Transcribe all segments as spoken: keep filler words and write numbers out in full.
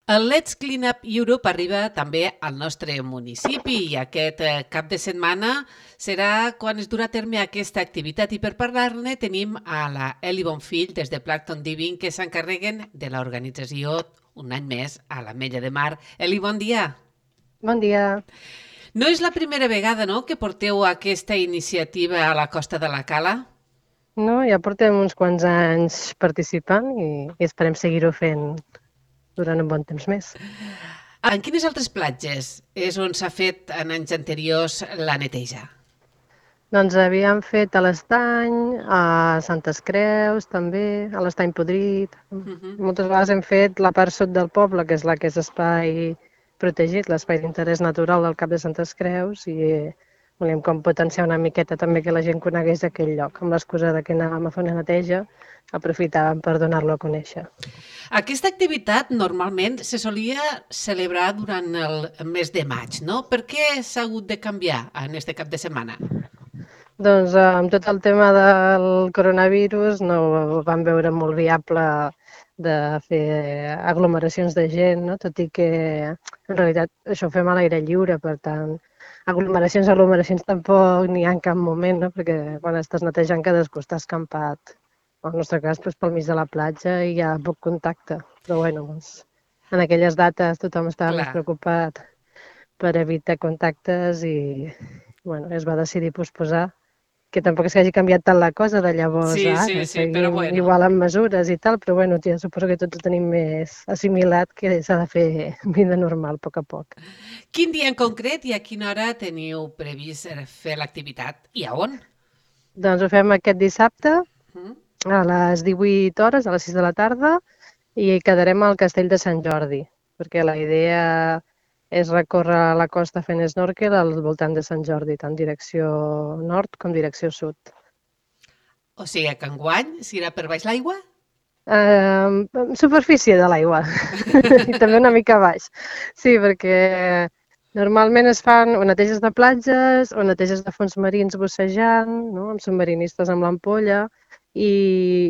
El Let's Clean Up Europe arriba també al nostre municipi i aquest eh, cap de setmana serà quan es durà a terme aquesta activitat i per parlar-ne tenim a la Eli Bonfill des de Plankton Diving que s'encarreguen de l'organització un any més a l'Ametlla de Mar. Eli, bon dia. Bon dia. No és la primera vegada, no?, que porteu aquesta iniciativa a la Costa de la Cala? No, ja portem uns quants anys participant i, i esperem seguir-ho fent durant un bon temps més. En quines altres platges és on s'ha fet en anys anteriors la neteja? Doncs havíem fet a l'Estany, a Santes Creus també, a l'Estany Podrit. Uh -huh. Moltes vegades hem fet la part sud del poble, que és la que és espai protegit, l'espai d'interès natural del Cap de Santes Creus, i volíem com potenciar una miqueta també que la gent conegués aquell lloc. Amb l'excusa de que anàvem a fer una neteja, aprofitàvem per donar-lo a conèixer. Aquesta activitat normalment se solia celebrar durant el mes de maig, no? Per què s'ha hagut de canviar en este cap de setmana? Doncs amb tot el tema del coronavirus no vam veure molt viable de fer aglomeracions de gent, no? Tot i que en realitat això ho fem a l'aire lliure, per tant, aglomeracions, aglomeracions tampoc n'hi ha en cap moment, no? Perquè quan estàs netejant cadascú està escampat. En el nostre cas, doncs, pel mig de la platja i hi ha poc contacte. Però bueno, doncs, en aquelles dates tothom estava Clar. més preocupat per evitar contactes i bueno, es va decidir posposar, que tampoc és que hagi canviat tant la cosa de llavors Sí, a sí, ara. sí, però Seguim bueno. igual amb mesures i tal, però bueno, ja suposo que tots ho tenim més assimilat, que s'ha de fer vida normal a poc a poc. Quin dia en concret i a quina hora teniu previst fer l'activitat i a on? Doncs ho fem aquest dissabte Mm? a les divuit hores, a les sis de la tarda, i quedarem al Castell de Sant Jordi, perquè la idea és recórrer la costa fent snorkel al voltant de Sant Jordi, tant direcció nord com direcció sud. O sigui que enguany s'irà per baix l'aigua? Uh, superfície de l'aigua i també una mica baix. Sí, perquè normalment es fan o neteges de platges o neteges de fons marins bussejant, no? Amb submarinistes amb l'ampolla, i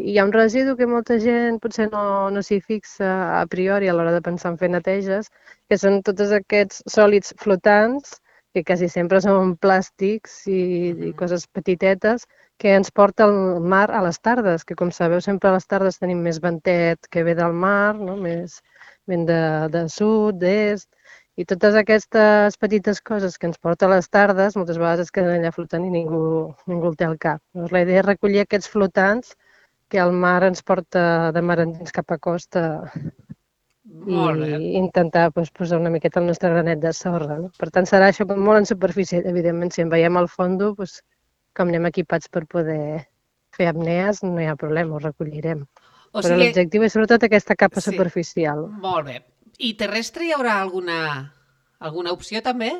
hi ha un residu que molta gent potser no, no s'hi fixa a priori a l'hora de pensar en fer neteges, que són tots aquests sòlids flotants, que quasi sempre són plàstics i, i coses petitetes, que ens porta el mar a les tardes, que com sabeu sempre a les tardes tenim més ventet que ve del mar, no? Més ben de, de sud, d'est, i totes aquestes petites coses que ens porta a les tardes moltes vegades es queden allà flotant i ningú, ningú el té al cap. Llavors, la idea és recollir aquests flotants que el mar ens porta de mar endins cap a costa i intentar doncs, posar una miqueta el nostre granet de sorra. No? Per tant, serà això molt en superfície, evidentment, si en veiem al fondo, doncs, com anem equipats per poder fer apnees, no hi ha problema, ho recollirem. O Però sigui... l'objectiu és sobretot aquesta capa Sí. superficial. Molt bé. I terrestre hi haurà alguna, alguna opció també?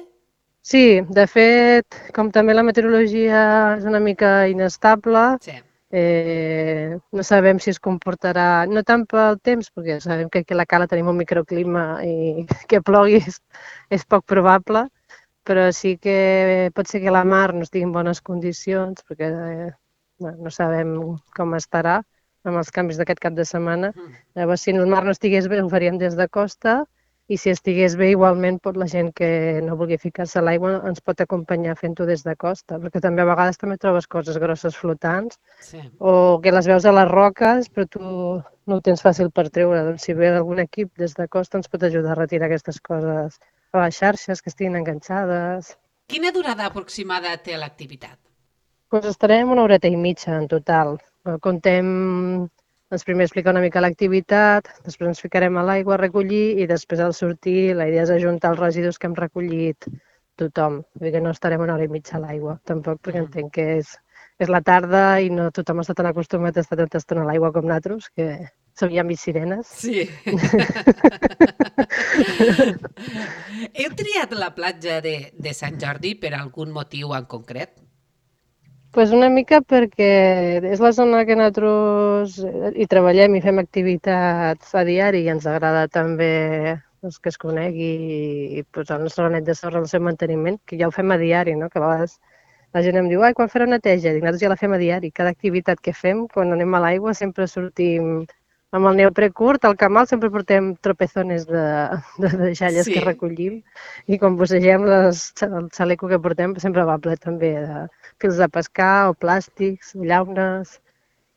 Sí, de fet, com també la meteorologia és una mica inestable, Sí. eh, no sabem si es comportarà, no tant pel temps, perquè sabem que aquí a la Cala tenim un microclima i que plogui és, és poc probable, però sí que pot ser que la mar no estigui en bones condicions, perquè eh, bueno, no sabem com estarà amb els canvis d'aquest cap de setmana. Llavors, si el mar no estigués bé, ho faríem des de costa, i si estigués bé, igualment, pot la gent que no vulgui ficar-se a l'aigua ens pot acompanyar fent-ho des de costa, perquè també a vegades també trobes coses grosses flotants, Sí. o que les veus a les roques, però tu no ho tens fàcil per treure. Doncs si ve algun equip des de costa ens pot ajudar a retirar aquestes coses a les xarxes que estiguin enganxades. Quina durada aproximada té l'activitat? Doncs estarem una horeta i mitja en total. Contem, doncs primer explicar una mica l'activitat, després ens ficarem a l'aigua a recollir i després al sortir la idea és ajuntar els residus que hem recollit tothom. Vull dir que no estarem una hora i mitja a l'aigua, tampoc, perquè entenc que és, és la tarda i no tothom està tan acostumat a estar tanta estona a l'aigua com nosaltres, que som ja mig sirenes. Sí. Heu triat la platja de, de Sant Jordi per algun motiu en concret? Pues una mica perquè és la zona que nosaltres hi treballem i fem activitats a diari i ens agrada també doncs, que es conegui i posar el nostre granet de sorra al seu manteniment, que ja ho fem a diari, no? Que a vegades la gent em diu, ai, quan fareu neteja? Dic, nosaltres ja la fem a diari. Cada activitat que fem, quan anem a l'aigua, sempre sortim amb el neoprè curt, al camal sempre portem tropezones de, de deixalles Sí. que recollim i quan bussegem les, el xaleco que portem sempre va ple també de fils de pescar o plàstics, llaunes,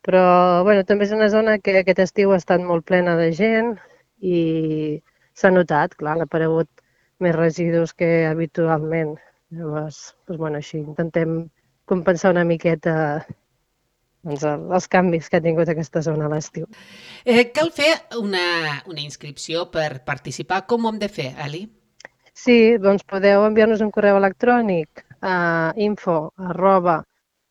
però bueno, també és una zona que aquest estiu ha estat molt plena de gent i s'ha notat, clar, han aparegut més residus que habitualment. Llavors, doncs, bueno, així intentem compensar una miqueta doncs, els canvis que ha tingut aquesta zona a l'estiu. Eh, cal fer una, una inscripció per participar. Com ho hem de fer, Eli? Sí, doncs podeu enviar-nos un correu electrònic a info arroba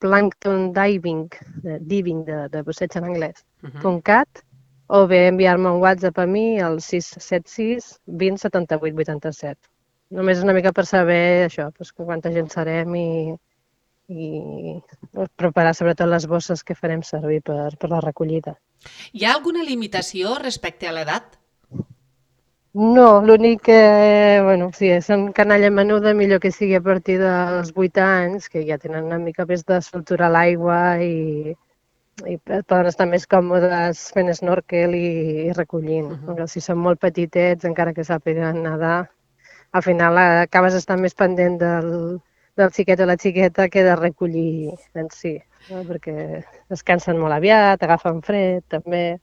planktondiving, de diving de, de busseig en anglès, Uh -huh. punt cat, o bé enviar-me un WhatsApp a mi al sis set sis vint setanta-vuit vuitanta-set. Només una mica per saber això, doncs, quanta gent serem i, i preparar sobretot les bosses que farem servir per, per la recollida. Hi ha alguna limitació respecte a l'edat? No, l'únic que, bueno, si són canalla menuda, millor que sigui a partir dels vuit anys, que ja tenen una mica més de soltura a l'aigua i, i poden estar més còmodes fent snorkel i, i recollint. Uh -huh. Si són molt petitets, encara que sàpiguen nedar, al final acabes estant més pendent del, del xiquet o la xiqueta que de recollir en si, no? Perquè es cansen molt aviat, agafen fred també.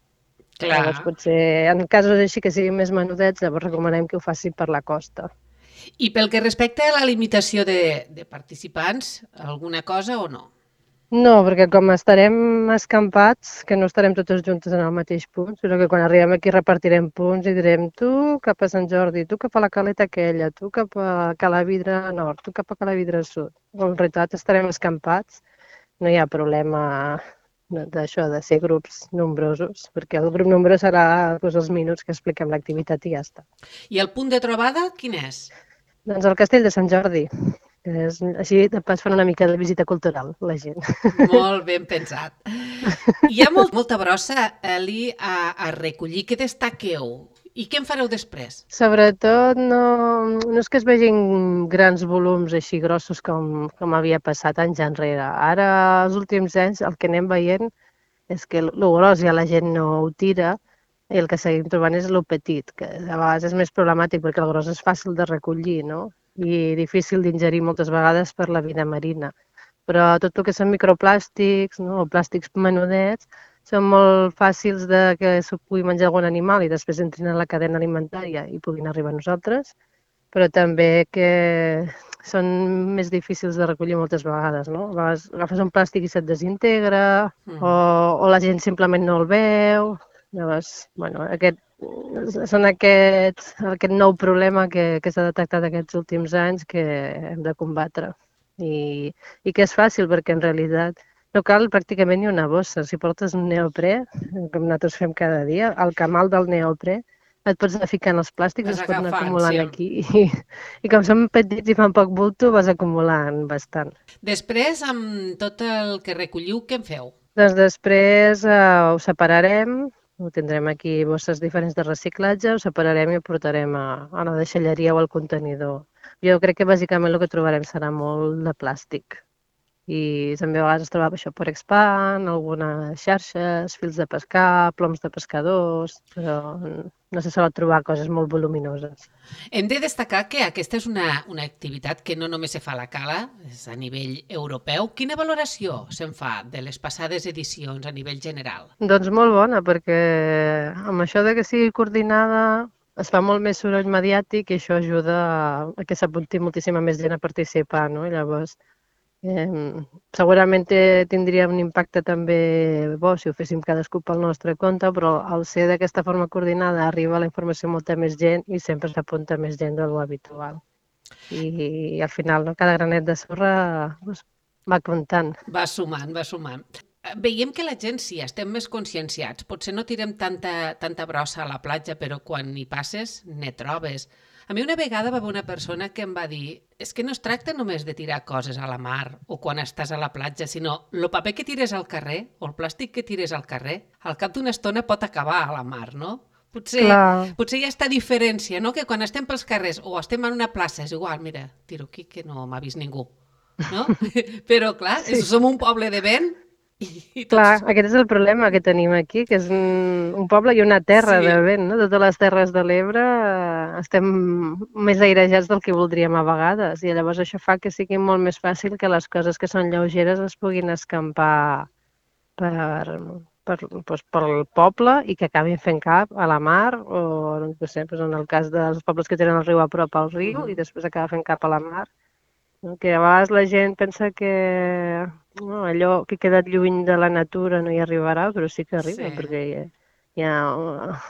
Clar. Llavors, potser, en casos així que siguin més menudets, llavors recomanem que ho faci per la costa. I pel que respecta a la limitació de, de participants, alguna cosa o no? No, perquè com estarem escampats, que no estarem totes juntes en el mateix punt, sinó que quan arribem aquí repartirem punts i direm tu cap a Sant Jordi, tu cap a la caleta aquella, tu cap a Calavidra Nord, tu cap a Calavidra Sud. En realitat estarem escampats, no hi ha problema d'això, de ser grups nombrosos, perquè el grup nombrós serà doncs, els minuts que expliquem l'activitat i ja està. I el punt de trobada, quin és? Doncs el castell de Sant Jordi. Que és, així de pas fan una mica de visita cultural, la gent. Molt ben pensat. Hi ha molt, molta brossa, Eli, a, a recollir. Què destaqueu? I què en fareu després? Sobretot no, no és que es vegin grans volums així grossos com, com havia passat anys enrere. Ara, els últims anys, el que anem veient és que el gros ja la gent no ho tira i el que seguim trobant és el petit, que a vegades és més problemàtic perquè el gros és fàcil de recollir, no? I difícil d'ingerir moltes vegades per la vida marina. Però tot el que són microplàstics, no? O plàstics menudets, són molt fàcils de que s'ho pugui menjar algun animal i després entrin en la cadena alimentària i puguin arribar a nosaltres, però també que són més difícils de recollir moltes vegades, no? A vegades agafes un plàstic i se't desintegra, mm. o, o la gent simplement no el veu. Llavors, bueno, aquest, són aquests, aquest nou problema que, que s'ha detectat aquests últims anys que hem de combatre. I, i que és fàcil perquè en realitat no cal pràcticament ni una bossa. Si portes un neoprè, com nosaltres fem cada dia, al camal del neoprè et pots anar ficant els plàstics, Vas es poden anar agafant, acumulant sí. aquí. I, I com són petits i fan poc bulto, vas acumulant bastant. Després, amb tot el que recolliu, què en feu? Doncs després eh, ho separarem, ho tindrem aquí bosses diferents de reciclatge, ho separarem i ho portarem a, a la deixalleria o al contenidor. Jo crec que bàsicament el que trobarem serà molt de plàstic. I també a vegades es trobava això per expand, algunes xarxes, fils de pescar, ploms de pescadors, però no se solen trobar coses molt voluminoses. Hem de destacar que aquesta és una, una activitat que no només se fa a la cala, és a nivell europeu. Quina valoració se'n fa de les passades edicions a nivell general? Doncs molt bona, perquè amb això de que sigui coordinada es fa molt més soroll mediàtic i això ajuda a que s'apunti moltíssima més gent a participar, no? I llavors, eh, segurament tindria un impacte també bo si ho féssim cadascú pel nostre compte, però al ser d'aquesta forma coordinada arriba la informació a molta més gent i sempre s'apunta més gent de lo habitual. I, i al final, no, cada granet de sorra doncs, va comptant. Va sumant, va sumant. Veiem que la gent sí, estem més conscienciats. Potser no tirem tanta, tanta brossa a la platja, però quan hi passes ne trobes. A mi una vegada va haver una persona que em va dir és que no es tracta només de tirar coses a la mar o quan estàs a la platja, sinó el paper que tires al carrer o el plàstic que tires al carrer, al cap d'una estona pot acabar a la mar, no? Potser, potser hi ha aquesta diferència, no? Que quan estem pels carrers o estem en una plaça és igual, mira, tiro aquí que no m'ha vist ningú, no? Però clar, sí. Som un poble de vent I, i Clar, tots... aquest és el problema que tenim aquí, que és un, un poble i una terra de Sí, vent, no? Totes les terres de l'Ebre eh, estem més airejats del que voldríem a vegades i llavors això fa que sigui molt més fàcil que les coses que són lleugeres es puguin escampar per, per, doncs, pel poble i que acabin fent cap a la mar o, no sé, doncs en el cas dels pobles que tenen el riu a prop al riu i mhm, després acaba fent cap a la mar. No? Que a vegades la gent pensa que no, allò que ha quedat lluny de la natura no hi arribarà, però sí que arriba, sí. perquè hi ha, hi ha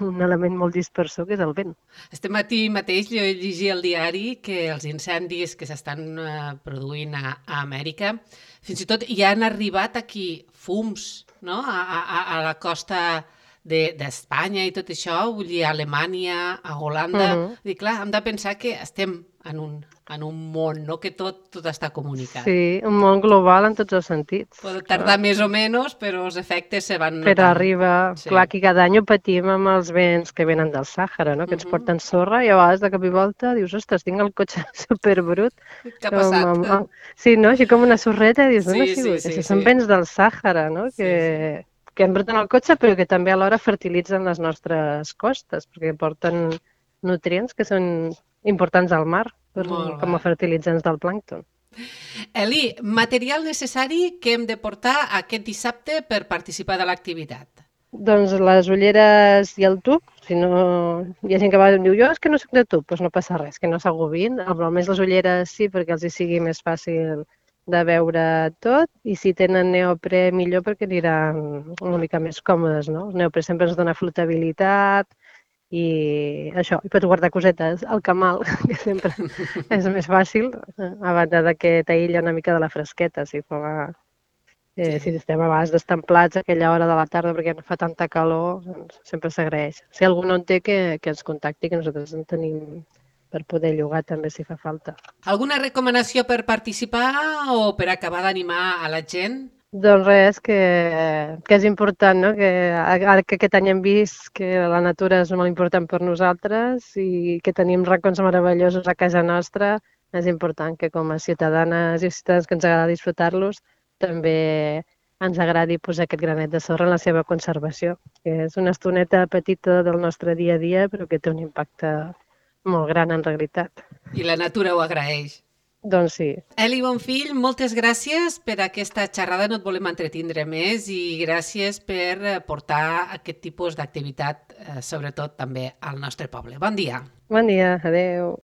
un element molt dispersor que és el vent. Este matí mateix jo llegia al diari que els incendis que s'estan eh, produint a, a Amèrica, fins i tot hi han arribat aquí fums, no?, a, a, a la costa de- d'Espanya i tot això, vull dir, a Alemanya, a Uh Holanda. -huh. I clar, hem de pensar que estem en un, en un món, no?, que tot, tot està comunicat. Sí, un món global en tots els sentits, Pot clar. tardar més o menys, però els efectes se van Però notant. arriba, Sí. clar, que cada any ho patim amb els vents que venen del Sàhara, no? Que ens Mhm. porten sorra i a vegades de cop i volta dius, ostres, tinc el cotxe superbrut. Què ha Com, passat? amb, amb... Sí, no? Així com una sorreta i dius, on ha Sí, sí, sigut? sí, Això sí. són vents del Sàhara, no? Sí, sí. Que, que embruten el cotxe però que també alhora fertilitzen les nostres costes, perquè porten nutrients que són importants al mar per, Molt com bé. a fertilitzants del plàncton. Eli, material necessari que hem de portar aquest dissabte per participar de l'activitat. Doncs les ulleres i el tub, si no... Hi ha gent que va i em diu, jo és que no soc de tub, doncs no passa res, que no s'agobin. Almenys les ulleres sí, perquè els hi sigui més fàcil de veure tot, i si tenen neoprè millor perquè aniran una mica més còmodes, no? El neoprè sempre ens dona flotabilitat i això, i pots guardar cosetes al camal, que sempre és més fàcil, a banda de que t'aïlla una mica de la fresqueta, si fa Eh, si Sí. estem a vegades destemplats a aquella hora de la tarda perquè no fa tanta calor, doncs sempre s'agraeix. Si algú no en té, que, que ens contacti, que nosaltres en tenim per poder llogar també si fa falta. Alguna recomanació per participar o per acabar d'animar a la gent? Doncs res, que, que és important, no? Que ara que aquest any hem vist que la natura és molt important per nosaltres i que tenim racons meravellosos a casa nostra, és important que com a ciutadanes i ciutadans que ens agrada disfrutar-los, també ens agradi posar aquest granet de sorra en la seva conservació, que és una estoneta petita del nostre dia a dia, però que té un impacte molt gran en realitat. I la natura ho agraeix. Doncs sí. Eli Bonfill, moltes gràcies per aquesta xerrada, no et volem entretindre més i gràcies per eh, portar aquest tipus d'activitat, eh, sobretot també al nostre poble. Bon dia. Bon dia, adeu.